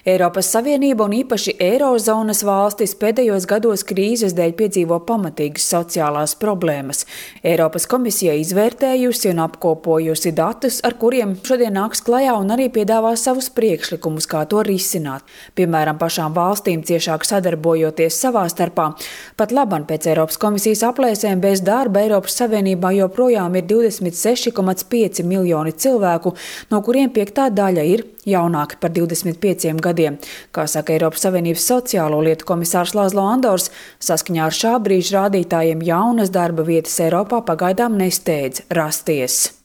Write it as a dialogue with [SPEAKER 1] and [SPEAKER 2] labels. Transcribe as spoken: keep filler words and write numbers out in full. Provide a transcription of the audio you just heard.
[SPEAKER 1] Eiropas Savienība un īpaši Eirozonas valstis pēdējos gados krīzes dēļ piedzīvo pamatīgas sociālās problēmas. Eiropas komisija izvērtējusi un apkopojusi datus, ar kuriem šodien nāks klajā un arī piedāvā savus priekšlikumus, kā to risināt. Piemēram, pašām valstīm ciešāk sadarbojoties savā starpā. Pat laban pēc Eiropas komisijas aplēsēm bez darba Eiropas Savienībā joprojām ir divdesmit seši komats pieci miljoni cilvēku, no kuriem piektā daļa ir jaunāki par divdesmit pieciem gadiem. Kā saka Eiropas Savienības sociālo lietu komisārs Lazlo Andors, saskaņā ar šā brīža rādītājiem jaunas darba vietas Eiropā pagaidām nesteidz rasties.